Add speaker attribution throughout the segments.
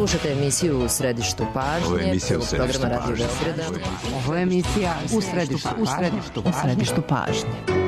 Speaker 1: Slušajte emisiju U središtu pažnje.
Speaker 2: Ovo je emisija U središtu pažnje.
Speaker 1: Ovo je emisija U središtu pažnje.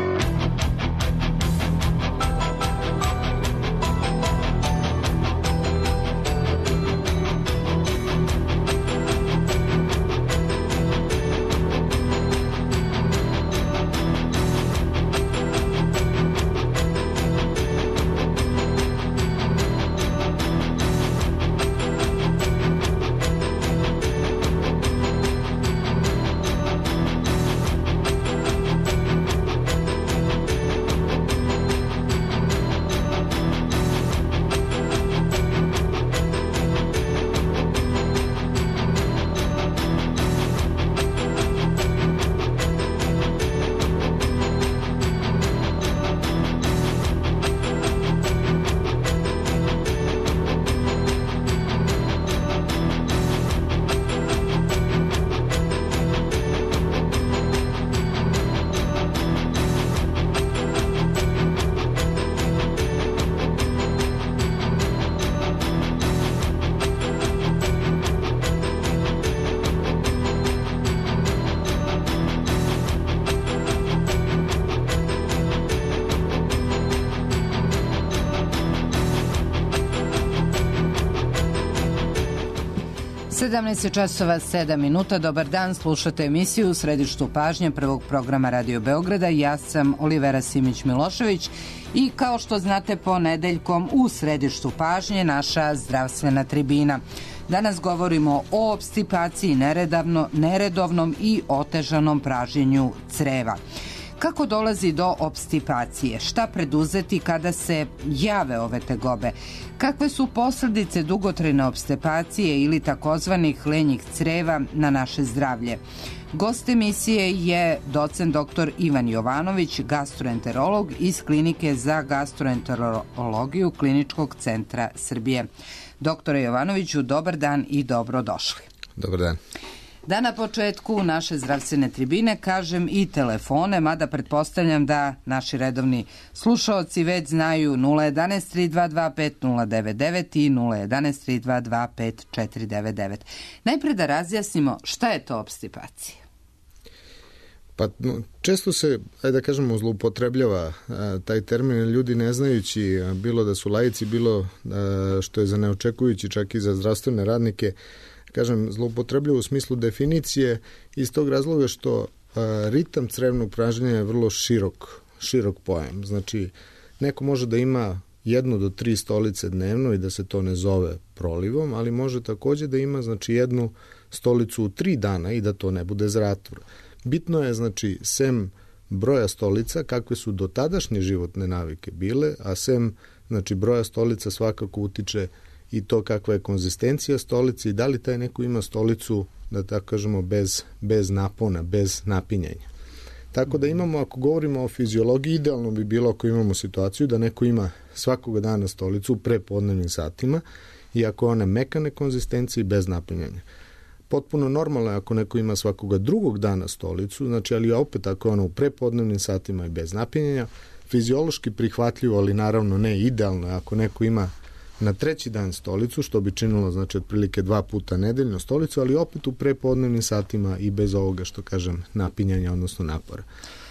Speaker 3: časova 7 minuta. Dobar dan, slušate emisiju U središtu pažnje prvog programa Radio Beograda. Ja sam Olivera Simić-Milošević i kao što znate, ponedeljkom u središtu pažnje naša zdravstvena tribina. Danas govorimo o opstipaciji, neredovnom i otežanom pražnjenju creva. Kako dolazi do opstipacije? Šta preduzeti kada se jave ove tegobe? Kakve su posljedice dugotrajne opstipacije ili takozvanih lenjih creva na naše zdravlje? Gost emisije je docent dr. Ivan Jovanović, gastroenterolog iz Klinike za gastroenterologiju Kliničkog centra Srbije. Doktore Jovanoviću, dobar dan i dobrodošli.
Speaker 2: Dobar dan.
Speaker 3: Da na početku naše zdravstvene tribine kažem i telefone, mada pretpostavljam da naši redovni slušaoci već znaju 011 322 5099 i 011 322 5499. Najpre da razjasnimo šta je to opstipacija.
Speaker 2: Pa često se, da kažemo, zloupotrebljava taj termin, ljudi ne znajući, bilo da su laici, bilo što je za neočekujući čak i za zdravstvene radnike, kažem, zloupotrebljava u smislu definicije iz tog razloga što ritam crevnog pražnjenja je vrlo širok pojam. Znači, neko može da ima 1 do 3 stolice dnevno i da se to ne zove prolivom, ali može takođe da ima, znači, 1 stolicu u 3 dana i da to ne bude zatvor. Bitno je, znači, sem broja stolica, kakve su dotadašnje životne navike bile, a sem, znači, broja stolica svakako utiče i to kakva je konzistencija stolice i da li taj neko ima stolicu, da tako kažemo, bez napona, bez napinjanja. Tako da imamo, ako govorimo o fiziologiji, idealno bi bilo ako imamo situaciju da neko ima svakoga dana stolicu u prepodnevnim satima i ako one mekane konzistencije bez napinjanja. Potpuno normalno je ako neko ima svakoga drugog dana stolicu, znači, ali opet ako je ona u prepodnevnim satima i bez napinjanja, fiziološki prihvatljivo, ali naravno ne idealno je ako neko ima na 3. dan stolicu, što bi činilo, znači, otprilike 2 puta nedeljno stolicu, ali opet u prepodnevnim satima i bez ovoga, što kažem, napinjanja, odnosno napora.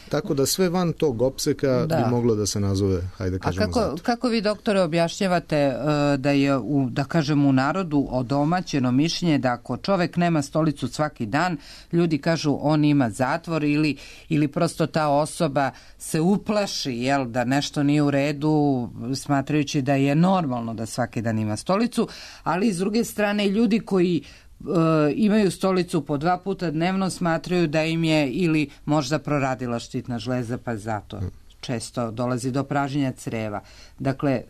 Speaker 2: Tako da sve van tog opseka bi moglo da se nazove, hajde kažemo, zatvor.
Speaker 3: Kako vi, doktore, objašnjavate da je, da kažem, u narodu odomaćeno mišljenje da ako čovek nema stolicu svaki dan, ljudi kažu on ima zatvor ili prosto ta osoba se uplaši, jel, da nešto nije u redu, smatrajući da je normalno da svaki dan ima stolicu, ali s druge strane ljudi koji imaju stolicu po 2 puta dnevno smatraju da im je ili možda proradila štitna žleza, pa zato često dolazi do pražnjenja creva. Dakle,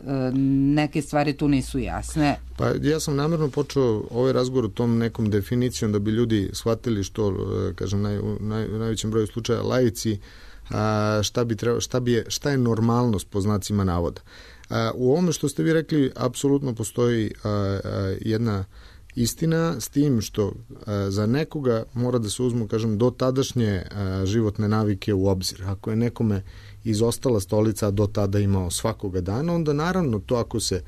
Speaker 3: neke stvari tu nisu jasne.
Speaker 2: Pa ja sam namjerno počeo ovaj razgovor tom nekom definicijom da bi ljudi shvatili što, kažem, u najvećem broju slučaja laici, šta je normalnost po znacima navoda. U ovome što ste vi rekli, apsolutno postoji jedna istina, s tim što za nekoga mora da se uzmu, kažem, do tadašnje životne navike u obzir. Ako je nekome izostala stolica, a do tada imao svakoga dana, onda naravno to ako se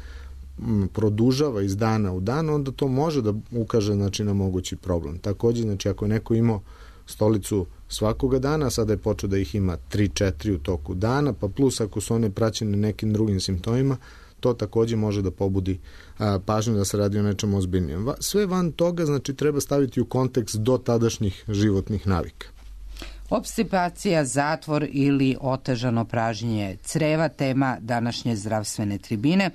Speaker 2: produžava iz dana u dan, onda to može da ukaže znači, na mogući problem. Takođe, znači, ako neko imao stolicu svakoga dana, sada je počeo da ih ima 3-4 u toku dana, pa plus ako su one praćene nekim drugim simptomima, to takođe može da pobudi pažnju da se radi o nečem ozbiljnijem. Sve van toga, znači, treba staviti u kontekst do tadašnjih životnih navika.
Speaker 3: Opstipacija, zatvor ili otežano pražnjenje creva, tema današnje zdravstvene tribine.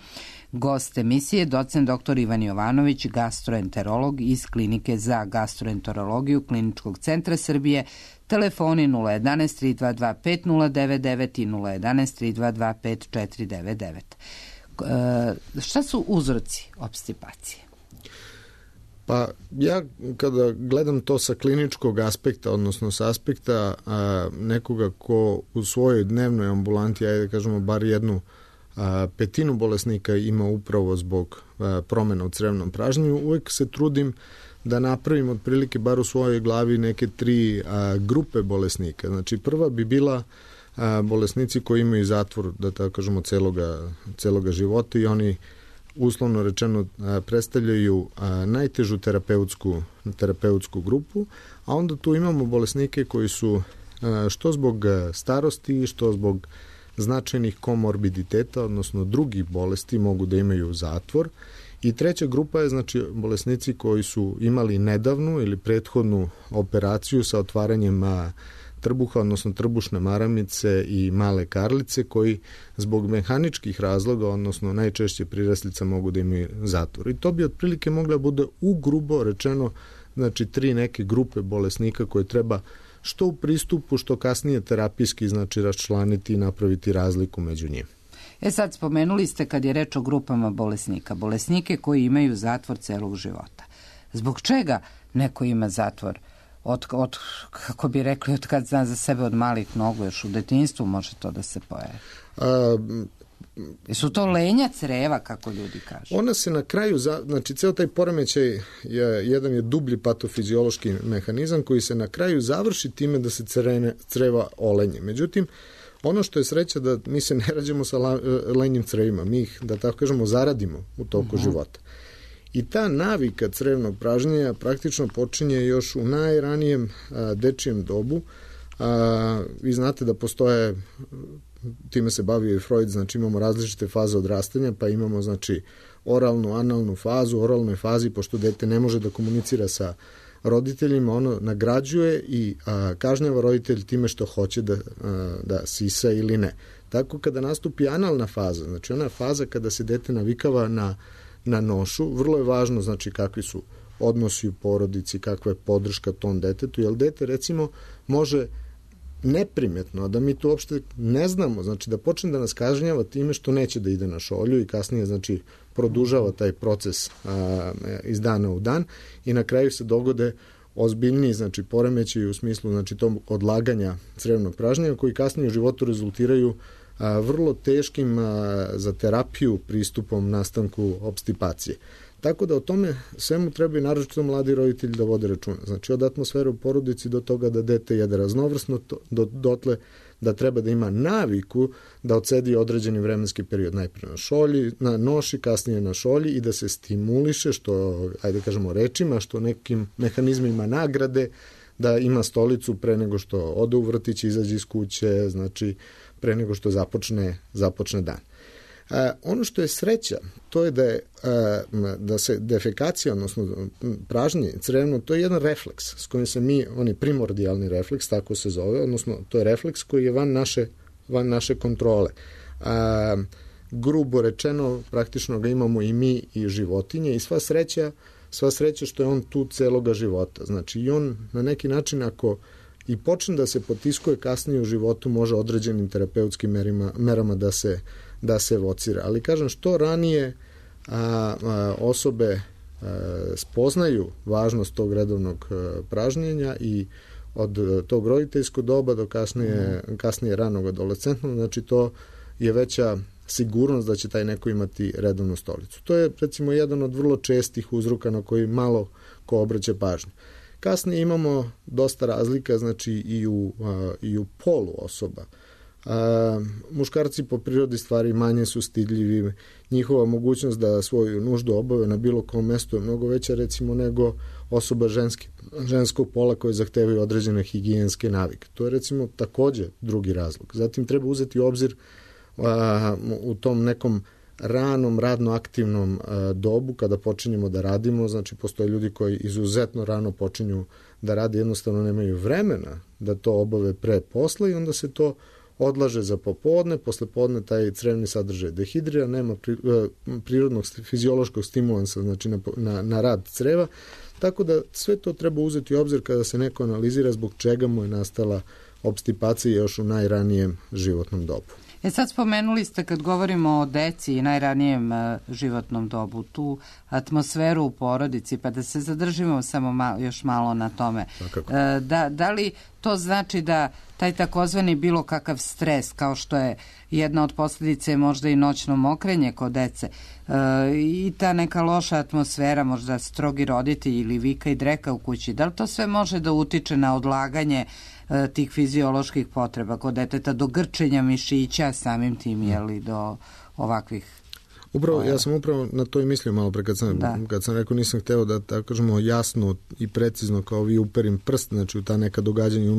Speaker 3: Gost emisije, docent dr. Ivan Jovanović, gastroenterolog iz Klinike za gastroenterologiju Kliničkog centra Srbije. Telefoni 011 322 5099 i 011 322 5499. Šta su uzroci opstipacije?
Speaker 2: Pa ja kada gledam to sa kliničkog aspekta, odnosno sa aspekta nekoga ko u svojoj dnevnoj ambulanti, ajde da kažemo bar jednu petinu bolesnika ima upravo zbog promena u crevnom pražnjenju, uvek se trudim da napravim otprilike bar u svojoj glavi neke 3 grupe bolesnika. Znači prva bi bila bolesnici koji imaju zatvor, da tako kažemo, celoga života i oni uslovno rečeno predstavljaju najtežu terapeutsku grupu, a onda tu imamo bolesnike koji su što zbog starosti, što zbog značajnih komorbiditeta, odnosno drugih bolesti mogu da imaju zatvor. I treća grupa je znači bolesnici koji su imali nedavnu ili prethodnu operaciju sa otvaranjem trbuha, odnosno trbušne maramice i male karlice koji zbog mehaničkih razloga, odnosno najčešće priraslica mogu da imaju zatvor. I to bi otprilike mogla bude ugrubo rečeno znači 3 neke grupe bolesnika koje treba što u pristupu, što kasnije terapijski znači raščlaniti i napraviti razliku među njima.
Speaker 3: Sad spomenuli ste kad je reč o grupama bolesnika, bolesnike koji imaju zatvor celog života. Zbog čega neko ima zatvor? Od kako bi rekli, od kad zna za sebe od malih nogu, još u detinjstvu može to da se pojavi. Su to lenja creva, kako ljudi kažu?
Speaker 2: Ona se na kraju, znači ceo taj poremećaj jedan je dublji patofiziološki mehanizam koji se na kraju završi time da se creva olenje. Međutim, ono što je sreća da mi se ne rađamo sa lenjim crevima, mi ih, da tako kažemo, zaradimo u toku života. I ta navika crevnog pražnjenja praktično počinje još u najranijem dečijem dobu. Vi znate da postoje, time se bavio i Freud, znači imamo različite faze odrastanja, pa imamo znači oralnu, analnu fazu. U oralnoj fazi, pošto dete ne može da komunicira sa roditeljima, ono nagrađuje i kažnjava roditelj time što hoće da sisa ili ne. Tako kada nastupi analna faza, znači ona faza kada se dete navikava na nošu, vrlo je važno znači kakvi su odnosi u porodici, kakva je podrška tom detetu, jer dete recimo može neprimetno, a da mi to uopšte ne znamo, znači da počne da nas kažnjava time što neće da ide na šolju i kasnije znači produžava taj proces iz dana u dan i na kraju se dogode ozbiljniji znači poremećaji u smislu znači tog odlaganja crevnog pražnjenja koji kasnije u životu rezultiraju vrlo teškim za terapiju pristupom nastanku opstipacije. Tako da o tome svemu treba i naročito mladi roditelji da vode računa. Znači od atmosfere u porodici do toga da dete jede raznovrsno, dotle da treba da ima naviku da odsedi određeni vremenski period najprije na šolji, na noši, kasnije na šolji i da se stimuliše što, ajde kažemo rečima, što nekim mehanizmima nagrade, da ima stolicu pre nego što ode u vrtić, izađe iz kuće, znači pre nego što započne dan. Ono što je sreća, to je da se defekacija, odnosno pražnje crevno, to je jedan refleks s kojim se mi, on je primordijalni refleks, tako se zove, odnosno to je refleks koji je van naše kontrole. Grubo rečeno, praktično ga imamo i mi i životinje i sva sreća što je on tu celoga života. Znači i on na neki način ako i počne da se potiskuje kasnije u životu može određenim terapeutskim merama da se evocira. Ali kažem, što ranije osobe spoznaju važnost tog redovnog pražnjenja i od tog roditeljskog doba do kasnije ranog adolescentnog, znači to je veća sigurnost da će taj neko imati redovnu stolicu. To je recimo jedan od vrlo čestih uzroka na koji malo ko obraća pažnju. Kasnije imamo dosta razlika znači i u polu osoba. Muškarci po prirodi stvari manje su stidljivi, njihova mogućnost da svoju nuždu obave na bilo kom mestu je mnogo veća recimo nego osoba ženskog pola koje zahtevaju određene higijenske navike. To je recimo takođe drugi razlog. Zatim treba uzeti u obzir u tom nekom ranom radno aktivnom dobu kada počinjemo da radimo, znači postoje ljudi koji izuzetno rano počinju da rade, jednostavno nemaju vremena da to obave pre posla i onda se to odlaže za popodne, posle podne taj crevni sadržaj dehidrira, nema prirodnog fiziološkog stimulansa znači na rad creva, tako da sve to treba uzeti u obzir kada se neko analizira zbog čega mu je nastala opstipacija još u najranijem životnom dobu.
Speaker 3: Sad spomenuli ste kad govorimo o deci i najranijem životnom dobu, tu atmosferu u porodici, pa da se zadržimo samo još malo na tome. Da li to znači da taj takozvani bilo kakav stres, kao što je jedna od posljedice možda i noćno mokrenje kod dece i ta neka loša atmosfera, možda strogi roditelji ili vika i dreka u kući, da li to sve može da utiče na odlaganje tih fizioloških potreba kod deteta, do grčenja mišića, samim tim, jeli, do ovakvih...
Speaker 2: Upravo, ja sam upravo na to i mislio malo pre kad sam rekao nisam hteo da tako kažemo jasno i precizno kao vi uperim prst, znači u ta neka događanja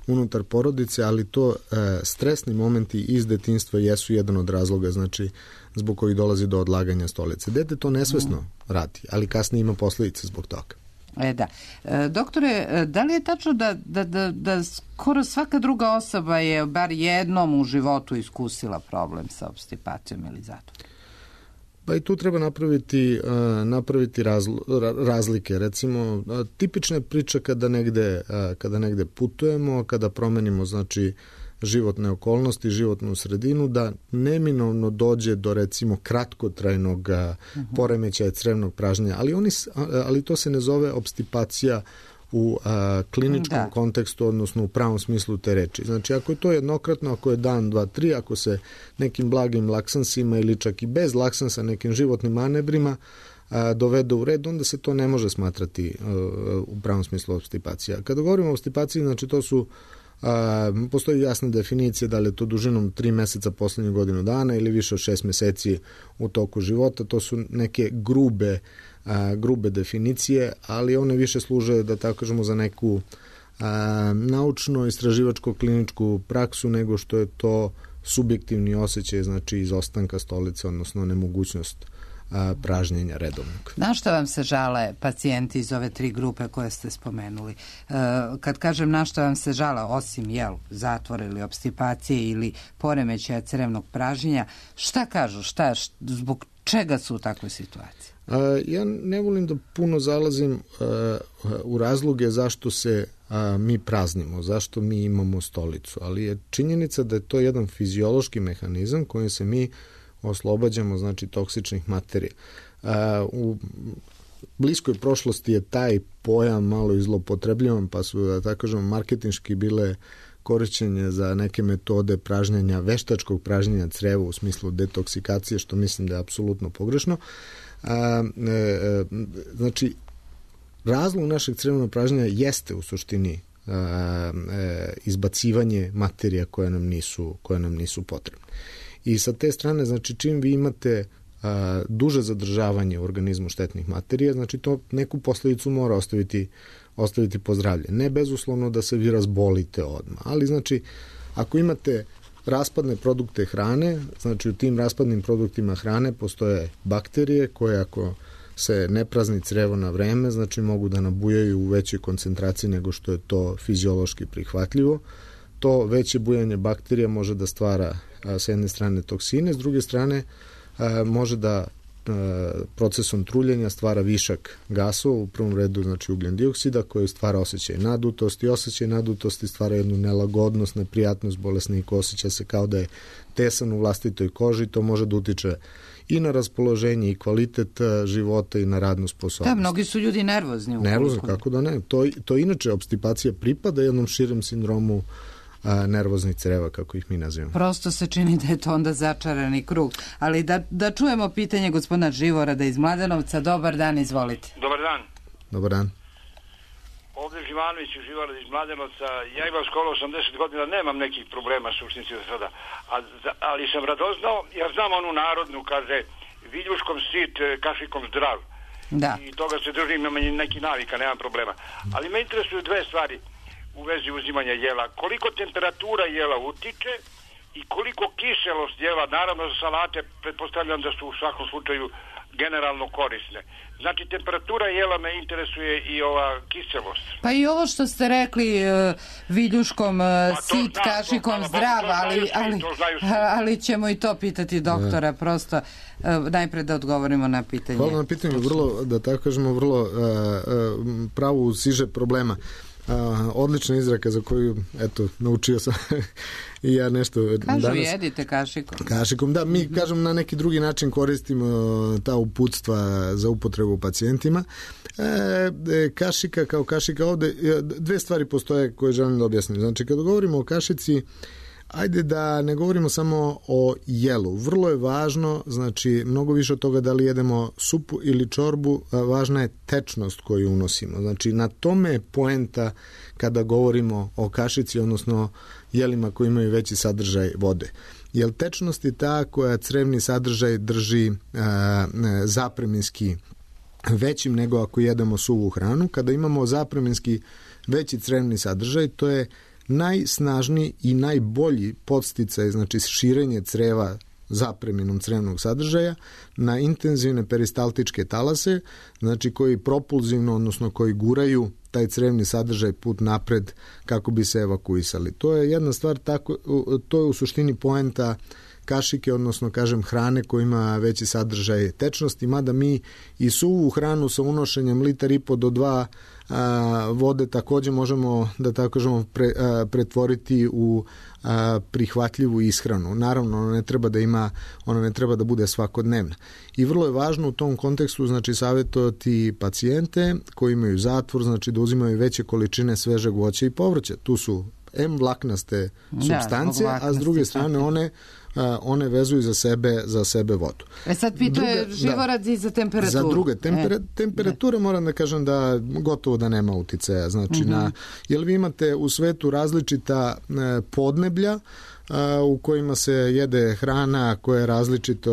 Speaker 2: unutar porodice, ali to stresni momenti iz detinjstva jesu jedan od razloga, znači zbog kojih dolazi do odlaganja stolice. Dete to nesvesno radi, ali kasnije ima posledice zbog toga.
Speaker 3: Da. Doktore, da li je tačno da skoro svaka druga osoba je bar jednom u životu iskusila problem sa opstipacijom ili zatvorom?
Speaker 2: Pa i tu treba napraviti razlike. Recimo, tipična je priča kada negde putujemo, kada promenimo znači životne okolnosti, životnu sredinu, da neminovno dođe do recimo kratkotrajnog poremećaja crevnog pražnjenja, ali to se ne zove opstipacija u kliničkom kontekstu, odnosno u pravom smislu te reči. Znači, ako je to jednokratno, ako je dan, dva, tri, ako se nekim blagim laksansima ili čak i bez laksansa, nekim životnim manevrima dovede u red, onda se to ne može smatrati u pravom smislu opstipacija. Kada govorimo o opstipaciji, znači to su postoji jasna definicija da li je to dužinom 3 meseca poslednju godinu dana ili više od 6 meseci u toku života. To su neke grube definicije, ali one više služe, da tako kažemo, za neku naučno-istraživačko-kliničku praksu nego što je to subjektivni osjećaj, znači izostanka stolice, odnosno nemogućnost pražnjenja redovnog.
Speaker 3: Na što vam se žale pacijenti iz ove 3 grupe koje ste spomenuli? Kad kažem na što vam se žale, osim zatvora ili opstipacije ili poremećaja crevnog pražnjenja, šta kažu? Zbog čega su u takvoj situaciji?
Speaker 2: Ja ne volim da puno zalazim u razloge zašto se mi praznimo, zašto mi imamo stolicu, ali je činjenica da je to jedan fiziološki mehanizam kojim se mi oslobađamo, znači, toksičnih materija. U bliskoj prošlosti je taj pojam malo izlopotrebljivan, pa su, da tako kažemo, marketinški bile korišćenje za neke metode pražnjenja, veštačkog pražnjenja creva u smislu detoksikacije, što mislim da je apsolutno pogrešno. Znači, razlog našeg crevnog pražnjenja jeste u suštini izbacivanje materija koje nam nisu potrebne. I sa te strane, znači, čim vi imate duže zadržavanje u organizmu štetnih materija, znači to neku posledicu mora ostaviti po zdravlje. Ne bezuslovno da se vi razbolite odmah, ali znači ako imate raspadne produkte hrane, znači u tim raspadnim produktima hrane postoje bakterije koje ako se ne prazni crevo na vreme, znači mogu da nabujaju u većoj koncentraciji nego što je to fiziološki prihvatljivo. To veće bujanje bakterija može da stvara s jedne strane toksine, s druge strane može da procesom truljenja stvara višak gasova, u prvom redu znači ugljen dioksida, koji stvara osjećaj nadutosti. Osjećaj nadutosti stvara jednu nelagodnost, neprijatnost, bolesnik osjeća se kao da je tesan u vlastitoj koži, to može da utiče i na raspoloženje i kvalitet života i na radnu sposobnost.
Speaker 3: Da, mnogi su ljudi nervozni.
Speaker 2: Nervozni, kako da ne. To inače, opstipacija pripada jednom širem sindromu nervoznih creva, kako ih mi nazivamo.
Speaker 3: Prosto se čini da je to onda začarani krug. Ali da čujemo pitanje gospodina Živorada iz Mladenovca. Dobar dan, izvolite.
Speaker 4: Dobar dan.
Speaker 2: Dobar dan.
Speaker 4: Ovdje Živanović uživala iz Mladenovca. Ja imam skoro 80 godina, nemam nekih problema suštinski do sada. Ali sam radoznao, jer znam onu narodnu, kaže, viljuškom sit, kašikom zdrav.
Speaker 3: Da.
Speaker 4: I toga se držim, imam neki navika, nemam problema. Ali me interesuju dve stvari u vezi uzimanja jela. Koliko temperatura jela utiče i koliko kiselost jela, naravno za salate, pretpostavljam da su u svakom slučaju generalno korisne. Znači, temperatura jela me interesuje i ova kiselost.
Speaker 3: Pa i ovo što ste rekli, viljuškom sit, kašikom zdrav, ali ćemo i to pitati doktora, prosto najpre da odgovorimo na pitanje.
Speaker 2: Hvala na pitanju, vrlo, da tako kažemo, vrlo pravu siže problema. Odlična izraka za koju, eto, naučio sam i ja nešto
Speaker 3: kažu
Speaker 2: danas.
Speaker 3: Jedite kašikom.
Speaker 2: Kašikom, da, mi kažem na neki drugi način koristimo ta uputstva za upotrebu pacijentima. Kašika kao kašika ovde, dve stvari postoje koje želim da objasnim. Znači, kada govorimo o kašici, ajde da ne govorimo samo o jelu. Vrlo je važno, znači, mnogo više od toga da li jedemo supu ili čorbu, važna je tečnost koju unosimo. Znači, na tome je poenta kada govorimo o kašici, odnosno jelima koji imaju veći sadržaj vode. Jer tečnost je ta koja crevni sadržaj drži zapreminski većim nego ako jedemo suvu hranu. Kada imamo zapreminski veći crevni sadržaj, to je najsnažniji i najbolji podsticaj, znači širenje creva zapreminom crevnog sadržaja na intenzivne peristaltičke talase, znači koji propulzivno, odnosno koji guraju taj crevni sadržaj put napred kako bi se evakuisali. To je jedna stvar, to je u suštini poenta kašike, odnosno kažem hrane koja ima veći sadržaj tečnosti, mada mi i suvu hranu sa unošenjem 1,5 do 2 vode takođe možemo, da tako kažemo, pretvoriti u prihvatljivu ishranu. Naravno, ona ne treba da bude svakodnevna. I vrlo je važno u tom kontekstu, znači, savjetovati pacijente koji imaju zatvor, znači da uzimaju veće količine svežeg voća i povrća. Tu su vlaknaste supstance, a s druge strane one vezuju za sebe vodu.
Speaker 3: Sad pituje Živorad i za temperaturu.
Speaker 2: Za druge. Temperatura moram da kažem da gotovo da nema uticaja. Znači, jer vi imate u svetu različita podneblja u kojima se jede hrana koja je različito,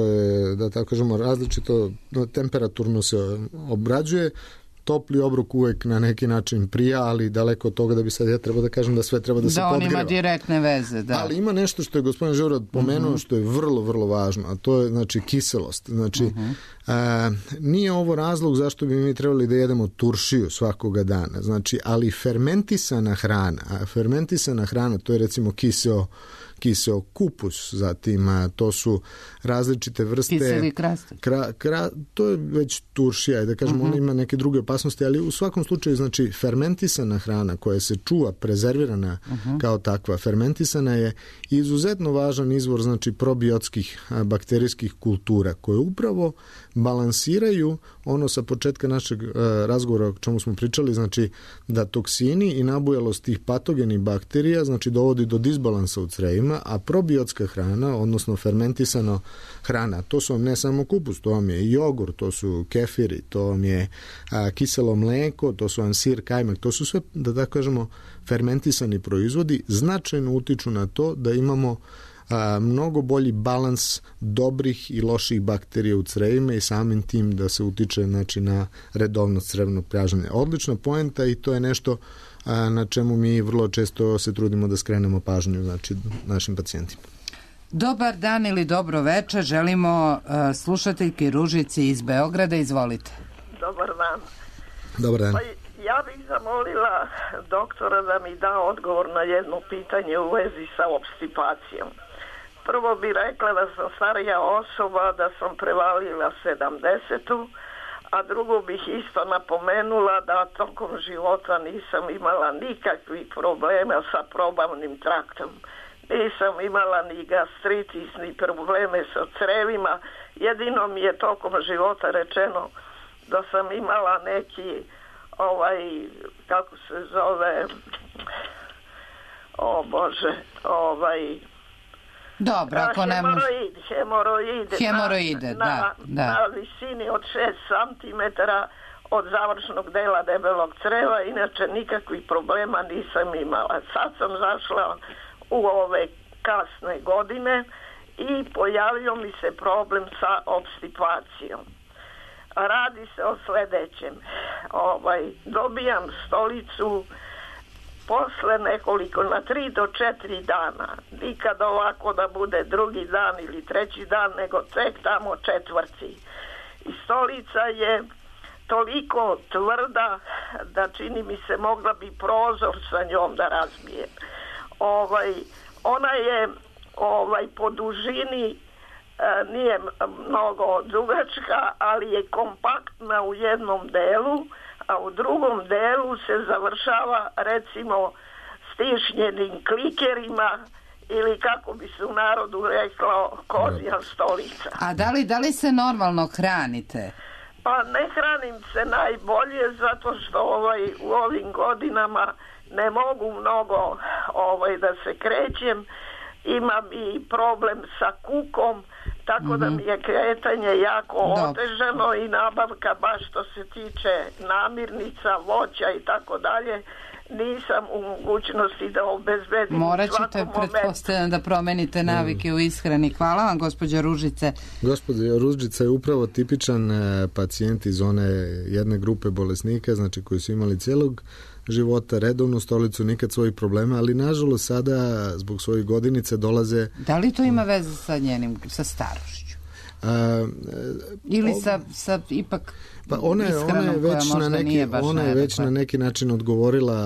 Speaker 2: da tako kažemo, različito temperaturno se obrađuje. Topli obrok uvek na neki način prija, ali daleko od toga da bi sad ja trebao da kažem da sve treba da se podgreva.
Speaker 3: Da on ima direktne veze, da.
Speaker 2: Ali ima nešto što je gospodin Živorad pomenuo, što je vrlo, vrlo važno, a to je, znači, kiselost. Znači, nije ovo razlog zašto bi mi trebali da jedemo turšiju svakoga dana, znači, ali fermentisana hrana, to je recimo kiseo kupus, zatim to su različite vrste...
Speaker 3: Kiseli krastač.
Speaker 2: To je već turšija, da kažemo, ona ima neke druge opasnosti, ali u svakom slučaju, znači, fermentisana hrana koja se čuva, prezervirana kao takva, fermentisana je izuzetno važan izvor, znači, probiotskih bakterijskih kultura, koje upravo balansiraju ono sa početka našeg razgovora o čemu smo pričali, znači, da toksini i nabujalost tih patogenih bakterija, znači, dovodi do disbalansa u crevima, a probiotska hrana, odnosno fermentisana hrana, to su vam ne samo kupus, to vam je jogurt, to su kefiri, to vam je kiselo mleko, to su vam sir, kajmak, to su sve, da tako kažemo, fermentisani proizvodi, značajno utiču na to da imamo mnogo bolji balans dobrih i loših bakterija u crevima i samim tim da se utiče, znači, na redovnost crevnog pražnjenja. Odlična poenta i to je nešto na čemu mi vrlo često se trudimo da skrenemo pažnju, znači, našim pacijentima.
Speaker 3: Dobar dan ili dobro večer, želimo slušateljki Ružici iz Beograda, izvolite.
Speaker 5: Dobar dan.
Speaker 2: Dobar dan.
Speaker 5: Pa ja bih zamolila doktora da mi da odgovor na jedno pitanje u vezi sa obstipacijom. Prvo bi rekla da sam starija osoba, da sam prevalila 70-tu, a drugo bih isto napomenula da tokom života nisam imala nikakvih problema sa probavnim traktom. Nisam imala ni gastritis, ni probleme sa crevima. Jedino mi je tokom života rečeno da sam imala neki, kako se zove,
Speaker 3: dobro, ako ne
Speaker 5: hemoroide
Speaker 3: da.
Speaker 5: Na visini od 6 cm od završnog dela debelog creva, inače nikakvih problema nisam imala. Sad sam zašla u ove kasne godine i pojavio mi se problem sa obstipacijom. Radi se o sledećem. Dobijam stolicu posle nekoliko, na 3 do 4 dana. Nikad ovako da bude drugi dan ili treći dan, nego tek tamo četvrti. I stolica je toliko tvrda da čini mi se mogla bi prozor sa njom da razbijem. Ona je po dužini nije mnogo dugačka, ali je kompaktna u jednom delu, a u drugom delu se završava recimo stišnjenim klikerima ili kako bi se u narodu reklo kozja stolica.
Speaker 3: A da li se normalno hranite?
Speaker 5: Pa ne hranim se najbolje zato što u ovim godinama ne mogu mnogo da se krećem. Imam i problem sa kukom, tako da mi je kretanje jako otežano i nabavka baš što se tiče namirnica, voća i tako dalje, nisam u mogućnosti da obezbedim.
Speaker 3: Morat ćete, pretpostavljam, da promenite navike u ishrani. Hvala vam, gospođa Ružice.
Speaker 2: Gospođa Ružica je upravo tipičan pacijent iz one jedne grupe bolesnika, znači koji su imali celog života, redovnu stolicu, nikad svojih problema, ali nažalost sada zbog svojih godinica dolaze...
Speaker 3: Da li to ima veze sa sa starošću? Ili sa ipak ishranom koja možda nije baš
Speaker 2: ona je već na neki način odgovorila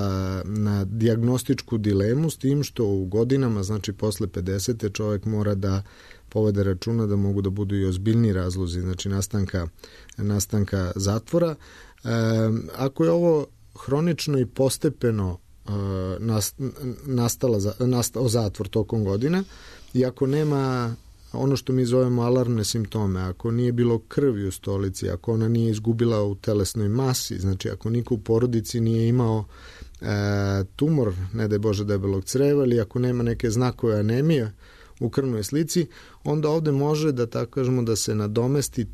Speaker 2: na dijagnostičku dilemu, s tim što u godinama, znači posle 50. čovjek mora da povede računa da mogu da budu i ozbiljni razlozi, znači nastanka zatvora. Ako je ovo hronično i postepeno nastao zatvor tokom godina i ako nema ono što mi zovemo alarmne simptome, ako nije bilo krvi u stolici, ako ona nije izgubila u telesnoj masi, znači ako niko u porodici nije imao tumor, ne daj Bože debelog creva, ili ako nema neke znakove anemije u krvnoj slici, onda ovde može da tako kažemo da se nadomesti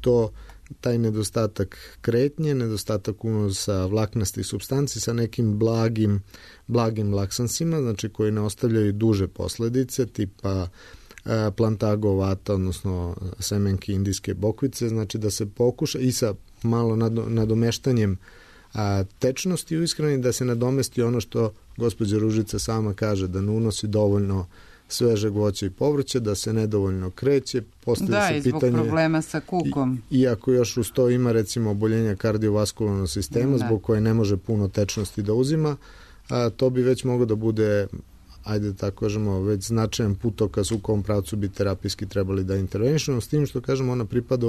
Speaker 2: taj nedostatak kretnje, nedostatak unosa vlaknastih supstanci sa nekim blagim laksansima, znači koji ne ostavljaju duže posledice, tipa plantago vata, odnosno semenke indijske bokvice, znači da se pokuša i sa malo nadomeštanjem tečnosti u ishrani, da se nadomesti ono što gospođa Ružica sama kaže, da ne unosi dovoljno svežeg voća i povrća, da se nedovoljno kreće, postavlja se pitanje...
Speaker 3: Da, i zbog problema sa kukom.
Speaker 2: Iako još uz to ima recimo oboljenja kardiovaskularnog sistema, zbog koje ne može puno tečnosti da uzima, to bi već moglo da bude, ajde tako kažemo, već značajan putokaz u kom pravcu bi terapijski trebali da intervenišemo, s tim što kažemo ona pripada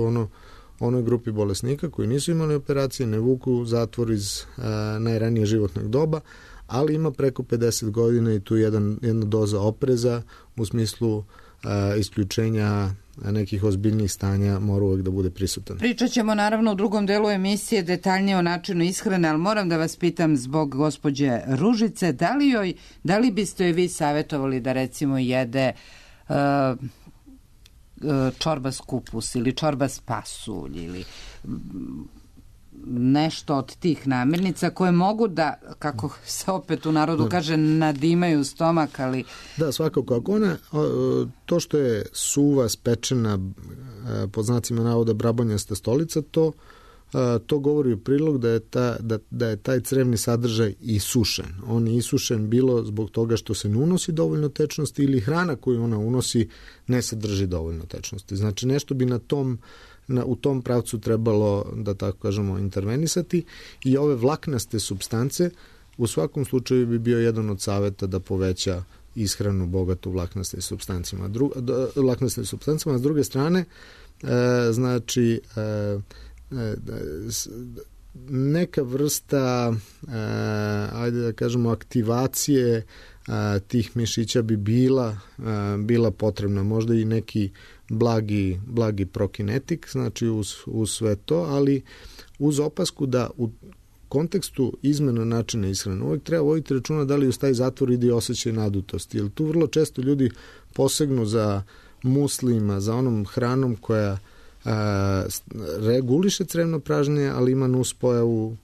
Speaker 2: onoj grupi bolesnika koji nisu imali operacije, ne vuku zatvor iz najranije životnog doba, ali ima preko 50 godina i tu jedna doza opreza u smislu isključenja nekih ozbiljnih stanja mora uvek da bude prisutan.
Speaker 3: Pričat ćemo naravno u drugom delu emisije detaljnije o načinu ishrane, ali moram da vas pitam zbog gospođe Ružice, da li biste joj vi savjetovali da recimo jede čorbas kupus ili čorbas pasulj ili nešto od tih namirnica koje mogu da, kako se opet u narodu kaže, nadimaju stomak, ali... Da,
Speaker 2: svakako. Ako ona, to što je suva, spečena, pod znacima navoda brabonjasta stolica, to govori u prilog da je taj crevni sadržaj isušen. On je isušen bilo zbog toga što se ne unosi dovoljno tečnosti ili hrana koju ona unosi ne sadrži dovoljno tečnosti. Znači nešto bi u tom pravcu trebalo, da tako kažemo, intervenisati i ove vlaknaste supstance u svakom slučaju bi bio jedan od saveta da poveća ishranu bogatu vlaknastim supstancima. A s druge strane, znači neka vrsta, ajde da kažemo, aktivacije tih mišića bi bila potrebna, možda i neki blagi prokinetik, znači uz sve to, ali uz opasku da u kontekstu izmena načina ishrane uvijek treba voditi računa da li uz taj zatvor ide i osjećaj nadutosti, jer tu vrlo često ljudi posegnu za muslima, za onom hranom koja reguliše crevno pražnje, ali ima nuspojavu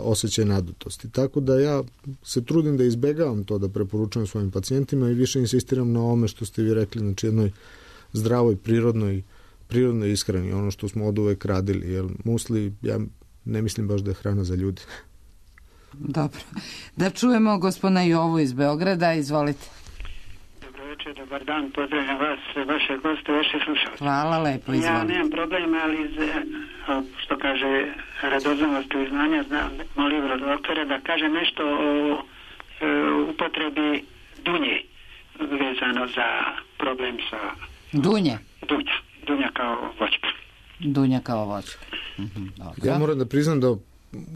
Speaker 2: osjećaj nadutosti. Tako da ja se trudim da izbegavam to, da preporučujem svojim pacijentima i više insistiram na ovome što ste vi rekli, znači jednoj zdravoj, prirodnoj ishrani, ono što smo od uvek radili, jer musli, ja ne mislim baš da je hrana za ljudi.
Speaker 3: Dobro. Da čujemo gospodina Jovu iz Beograda, izvolite.
Speaker 6: Dobro večer, dobar dan, pozdravljam vas, vaše goste, vaše slušalce.
Speaker 3: Hvala lepo, izvolite.
Speaker 6: Ja nemam problema, ali što kaže radoznalost i znanja, molim doktore da kaže nešto o upotrebi dunje vezano za problem sa... Dunja kao voćka.
Speaker 3: Dunja kao voćka.
Speaker 2: Ja moram da priznam da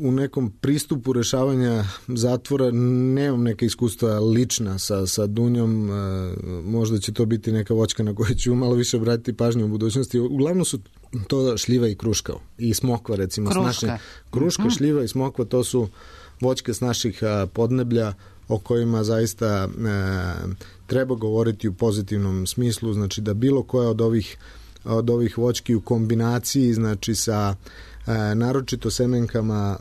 Speaker 2: u nekom pristupu rešavanja zatvora nemam neke iskustva lična sa dunjom, možda će to biti neka voćka na kojoj ću malo više obratiti pažnju u budućnosti. Uglavnom su to šljiva i kruška i smokva, recimo. Kruška, šljiva i smokva, to su voćke s naših podneblja o kojima zaista treba govoriti u pozitivnom smislu, znači da bilo koja od ovih voćki u kombinaciji, znači sa naročito semenkama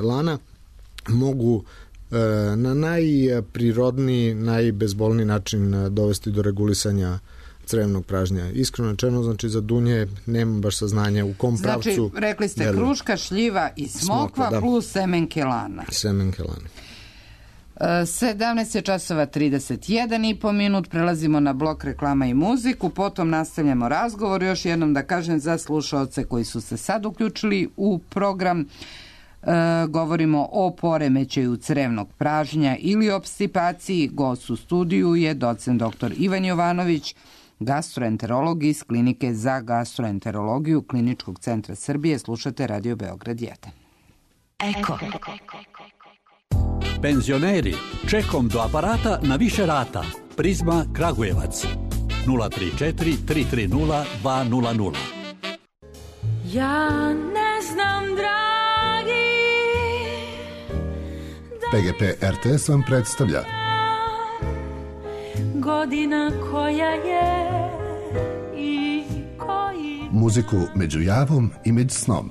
Speaker 2: lana, mogu na najprirodniji, najbezbolniji način dovesti do regulisanja crevnog pražnja. Iskreno rečeno, znači za dunje nemam baš saznanja u kom pravcu...
Speaker 3: Znači, rekli ste kruška, šljiva i smokva plus semenke lana.
Speaker 2: Semenke lana.
Speaker 3: 17 je časova 31,5 minut, prelazimo na blok reklama i muziku, potom nastavljamo razgovor. Još jednom da kažem za slušaoce koji su se sad uključili u program, govorimo o poremećaju crevnog pražnja ili opstipaciji. Gost u studiju je docent dr. Ivan Jovanović, gastroenterolog iz Klinike za gastroenterologiju Kliničkog centra Srbije. Slušate Radio Beograd 1.
Speaker 7: Eko. Penzioneri, čekom do aparata na više rata. Prizma Kragujevac 034 330 200.
Speaker 8: Ja ne znam, dragi,
Speaker 9: PGP RTS vam predstavlja
Speaker 8: godina koja je i koji...
Speaker 9: muziku među javom i među snom.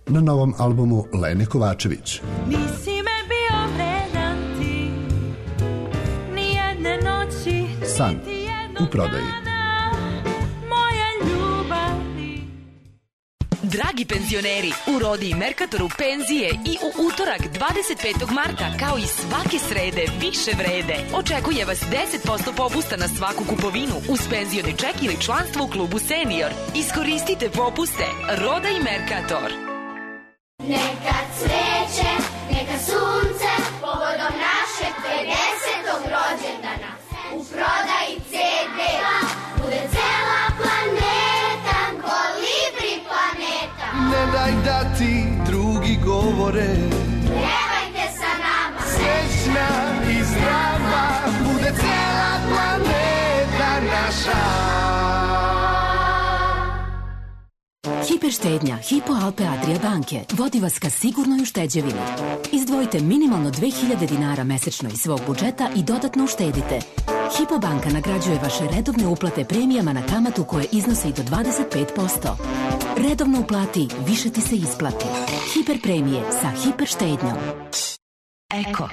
Speaker 9: Na novom albumu Lene Kovačević.
Speaker 8: Nisi me bio vredan ti, nijedne noći,
Speaker 9: San u prodaji.
Speaker 8: moja ljubavi.
Speaker 10: Dragi penzioneri, u Rodi i Merkatoru penzije i u utorak 25. marta, kao i svake srede, više vrede. Očekuje vas 10% popusta na svaku kupovinu uz penzioni ček ili članstvo u klubu Senior. Iskoristite popuste. Roda i Merkator.
Speaker 11: Neka cveće, neka sunce, povodom našeg 50. rođendana. U prodaji CD bude cela planeta, Kolibri planeta.
Speaker 12: Ne daj da ti drugi govore,
Speaker 11: Pjevajte sa nama,
Speaker 12: srećna i zdrava, bude cela planeta naša.
Speaker 13: Hiperštednja Hypo Alpe Adria banke vodi vas ka sigurnoj ušteđevini. Izdvojite minimalno 2000 dinara mesečno iz svog budžeta i dodatno uštedite. Hypo banka nagrađuje vaše redovne uplate premijama na kamatu koje iznosi i do 25%. Redovno uplati, više ti se isplati. Hiper premije sa hiper štednjom. Eko.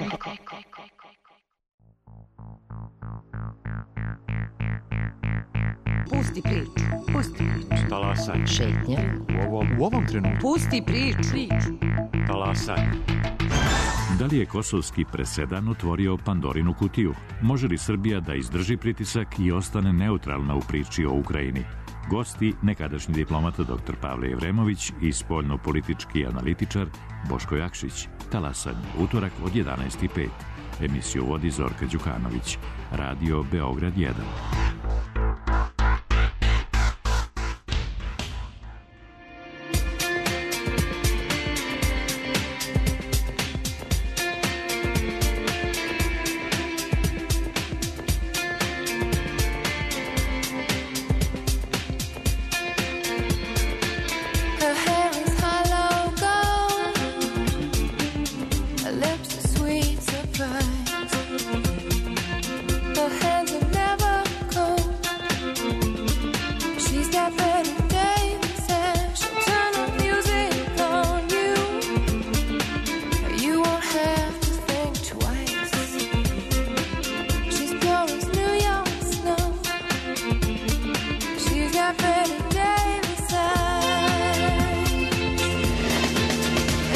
Speaker 1: Pusti priču.
Speaker 14: Talasanje.
Speaker 1: Šetnja.
Speaker 14: U ovom trenutku.
Speaker 1: Pusti priču.
Speaker 14: Talasanje.
Speaker 15: Da li je kosovski presedan otvorio Pandorinu kutiju? Može li Srbija da izdrži pritisak i ostane neutralna u priči o Ukrajini? Gosti, nekadašnji diplomata dr. Pavle Jevremović i spoljno-politički analitičar Boško Jakšić. Talasanje, utorak od 11:05. Emisiju vodi Zorka Đukanović. Radio Beograd 1.
Speaker 8: Her hair is hollow gold, a have to think twice. She's pure as New York snow. She's got Betty Davis eyes.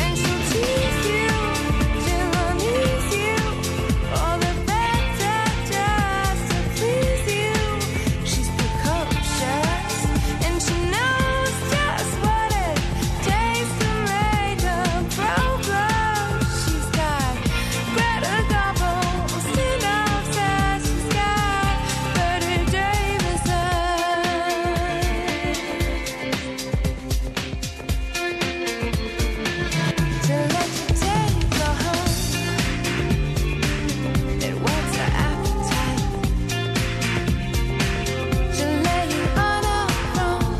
Speaker 8: And she'll tease you, she'll unease you, all the better just to please you. She's precocious, and she knows just what it takes to make a pro blush. She's got Greta Garbo, synopsis. She's got Betty Davis eyes. To let you take her home, it whets her appetite. She'll lay you on her throne.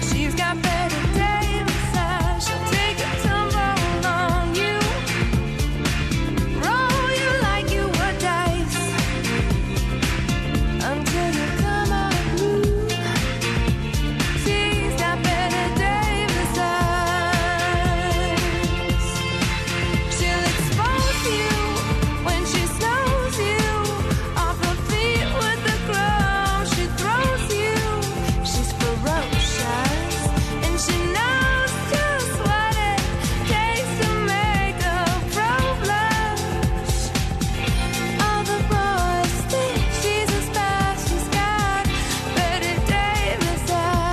Speaker 8: She's got Betty Davis eyes. She'll take a tumble on you, roll you like you were dice, until you come unglued. She's got Betty Davis eyes. She'll expose you when she snows you off her feet with the crumbs she throws you. She's ferocious, and she knows just what it takes to make a pro blush. All the boys think she's a spy. She's got Betty Davis eyes.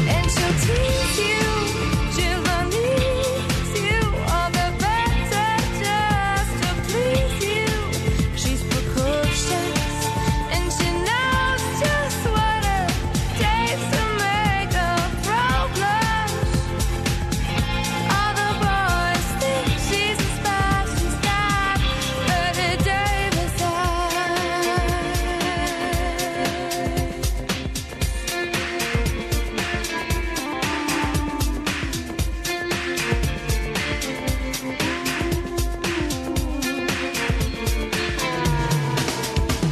Speaker 8: And she'll tease you, she'll unease you, all the better just to please you. She's precocious, and she knows just what it takes to make a pro blush. All the boys think she's a spy. She's got Betty Davis eyes.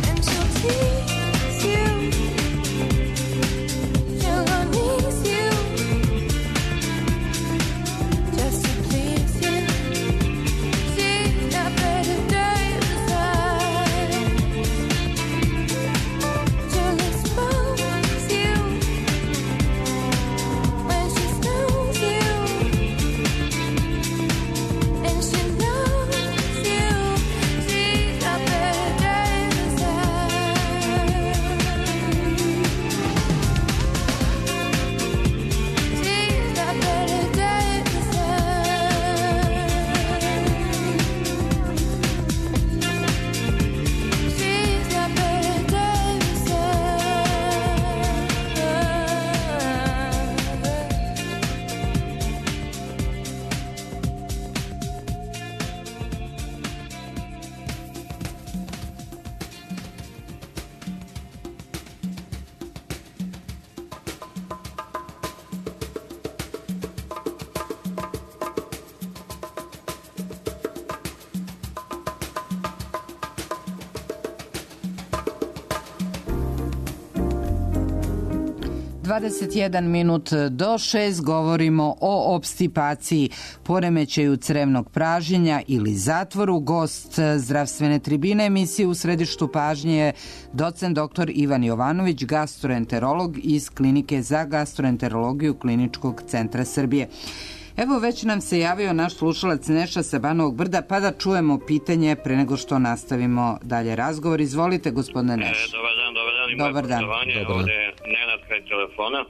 Speaker 8: And she'll tease you, she'll unease you, just to please you. She's got Betty Davis eyes. She'll expose you when she snows you, and she knows you. She's got Betty Davis eyes. She's got Betty Davis eyes. She's got Betty Davis
Speaker 3: Dvadeset minut do 6 govorimo o opstipaciji, poremećaju crevnog pražnjenja ili zatvoru. Gost zdravstvene tribine emisije U središtu pažnje je docent dr. Ivan Jovanović, gastroenterolog iz Klinike za gastroenterologiju Kliničkog centra Srbije. Evo, već nam se javio naš slušalac Neša sa Banovog Brda, pa da čujemo pitanje pre nego što nastavimo dalje razgovor. Izvolite, gospodine Neš.
Speaker 16: Dobar dan.
Speaker 3: Dobar dan.
Speaker 16: Ovdje je Nenad kraj telefona.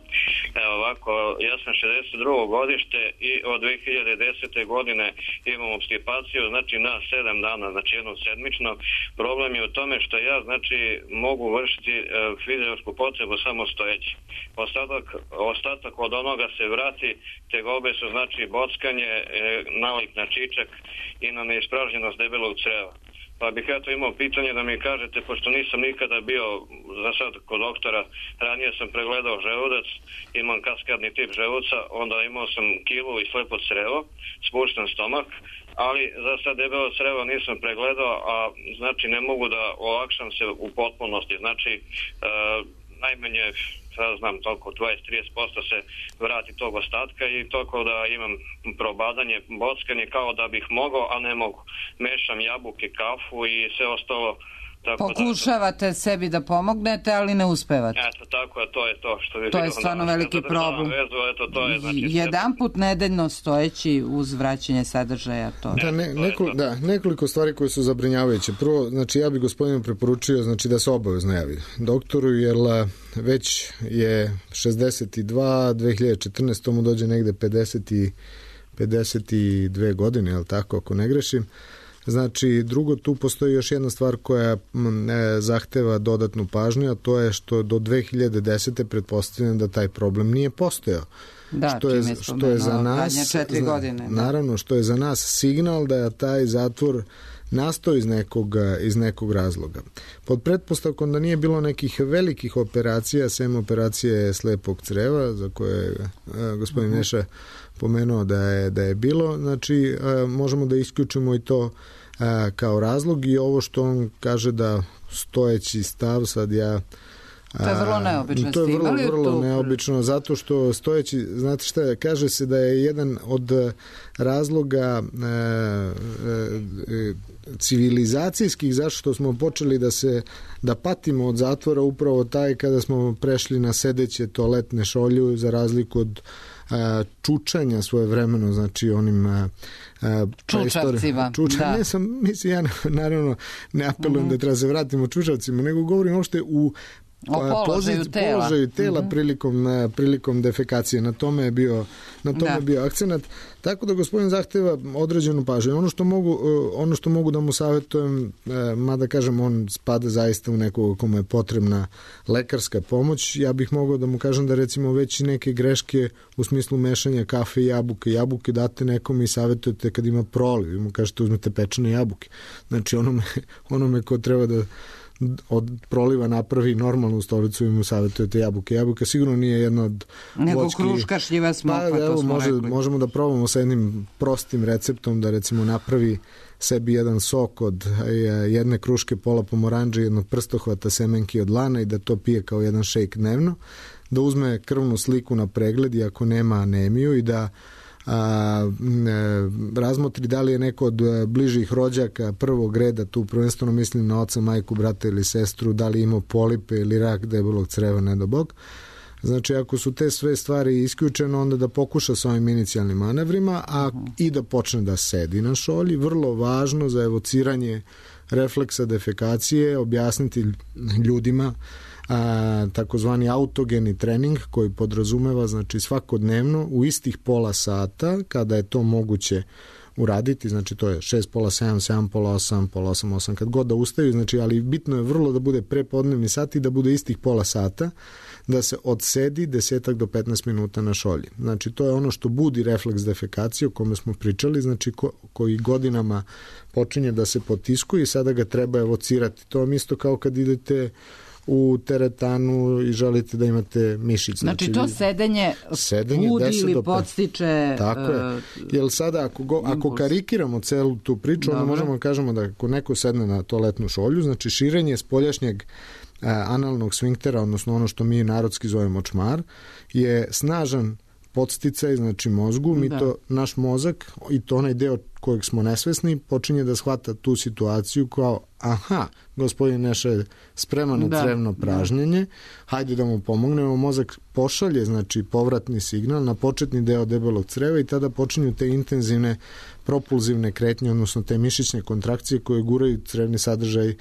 Speaker 16: Evo ovako, ja sam 62. godište i od 2010. godine imam opstipaciju, znači na 7 dana, znači jednom sedmično. Problem je u tome što ja, znači, mogu vršiti fiziološku potrebu samo stojeći. Ostatak od onoga se vrati, tegobe su, znači, bockanje, nalik na čičak i na neispražnjenost debelog creva. Pa bih ja to imao pitanje da mi kažete, pošto nisam nikada bio za sad kod doktora, ranije sam pregledao želudac, imam kaskadni tip želuca, onda imao sam kilu i slepo crevo, spušten stomak, ali za sad debelo crevo nisam pregledao, a znači ne mogu da olakšam se u potpunosti. Znači, najmanje, sad znam, toliko 20-30% se vrati tog ostatka i toliko da imam probadanje, bockanje kao da bih mogao, a ne mogu. Mešam jabuke, kafu i sve ostalo.
Speaker 3: Pokušavate sebi da pomognete, ali ne uspevate.
Speaker 16: Eto, tako je, to je to. Što
Speaker 3: to je stvarno veliki problem.
Speaker 16: Vezu, eto, to je, znači,
Speaker 3: jedan put nedeljno stojeći uz vraćanje sadržaja. To.
Speaker 2: Nekoliko stvari koje su zabrinjavajuće. Prvo, znači ja bih gospodinu preporučio znači, da se obavezno javi doktoru, jer već je 62, 2014. mu dođe negde 52 godine, je li tako, ako ne grešim. Znači, drugo, tu postoji još jedna stvar koja zahteva dodatnu pažnju, a to je što do 2010. pretpostavljam da taj problem nije postojao.
Speaker 3: Da, što je za nas, 4 godine.
Speaker 2: Naravno, što je za nas signal da je taj zatvor nastao iz nekog razloga. Pod pretpostavkom da nije bilo nekih velikih operacija, sem operacije slepog creva, za koje je gospodin Neša pomenuo da je bilo, znači možemo da isključimo i to kao razlog i ovo što on kaže da stojeći stav, sad ja
Speaker 3: to je vrlo neobično.
Speaker 2: To je vrlo neobično, zato što stojeći, znate šta, kaže se da je jedan od razloga civilizacijskih zašto smo počeli da patimo od zatvora upravo taj kada smo prešli na sedeće toaletne šolju za razliku od čučanja svojevremeno, znači onim
Speaker 3: čučavcima.
Speaker 2: Ne sam, mislim, ja naravno ne apelujem da treba se vratimo čučavcima, nego govorim uopšte u položaju tela prilikom defekacije. Na tome je bio akcenat. Tako da gospodin zahteva određenu pažnju. Ono što mogu da mu savjetujem, mada kažem on spada zaista u nekog kome je potrebna lekarska pomoć, ja bih mogao da mu kažem da recimo već i neke greške u smislu mešanja kafe i jabuke date nekom i savjetujete kad ima proliv. Vi mu kažete uzmete pečene jabuke. Znači onome ko treba da od proliva napravi normalnu stolicu i mu savjetujete jabuke. Jabuka sigurno nije jedna od
Speaker 3: nego kruška šljiva smokva, to smo rekli.
Speaker 2: Možemo da probamo sa jednim prostim receptom da recimo napravi sebi jedan sok od jedne kruške, pola pomoranđe, jednog prstohvata semenki od lana i da to pije kao jedan šejk dnevno, da uzme krvnu sliku na pregled i ako nema anemiju i da razmotri da li je neko od bližih rođaka prvog reda, tu prvenstveno mislim na oca, majku, brata ili sestru, da li imao polipe ili rak debelog creva, ne do Bog. Znači, ako su te sve stvari isključene, onda da pokuša s ovim inicijalnim manevrima, i da počne da sedi na šolji. Vrlo važno za evociranje refleksa defekacije, objasniti ljudima takozvani autogeni trening koji podrazumeva znači svakodnevno u istih pola sata kada je to moguće uraditi, znači to je 6, pola 7, 7, pola 8, pola 8, 8, kad god da ustaju, znači, ali bitno je vrlo da bude prepodnevni sat i da bude istih pola sata, da se odsedi 10 do 15 minuta na šolji. Znači to je ono što budi refleks defekacije o kome smo pričali, znači koji godinama počinje da se potiskuje i sada ga treba evocirati. To vam isto kao kad idete u teretanu i želite da imate mišić.
Speaker 3: Znači to sedenje budi ili podstiče...
Speaker 2: Tako je. Jer sada ako karikiramo celu tu priču, onda možemo da kažemo da ako neko sedne na toaletnu šolju, znači širenje spoljašnjeg analnog sfinktera, odnosno ono što mi narodski zovemo čmar, je snažan podsticaj, znači mozgu, naš mozak i to onaj deo kojeg smo nesvesni počinje da shvata tu situaciju kao gospodin Neša je spreman na crevno pražnjenje, hajde da mu pomognemo, mozak pošalje znači povratni signal na početni deo debelog creva i tada počinju te intenzivne propulzivne kretnje, odnosno te mišićne kontrakcije koje guraju crevni sadržaj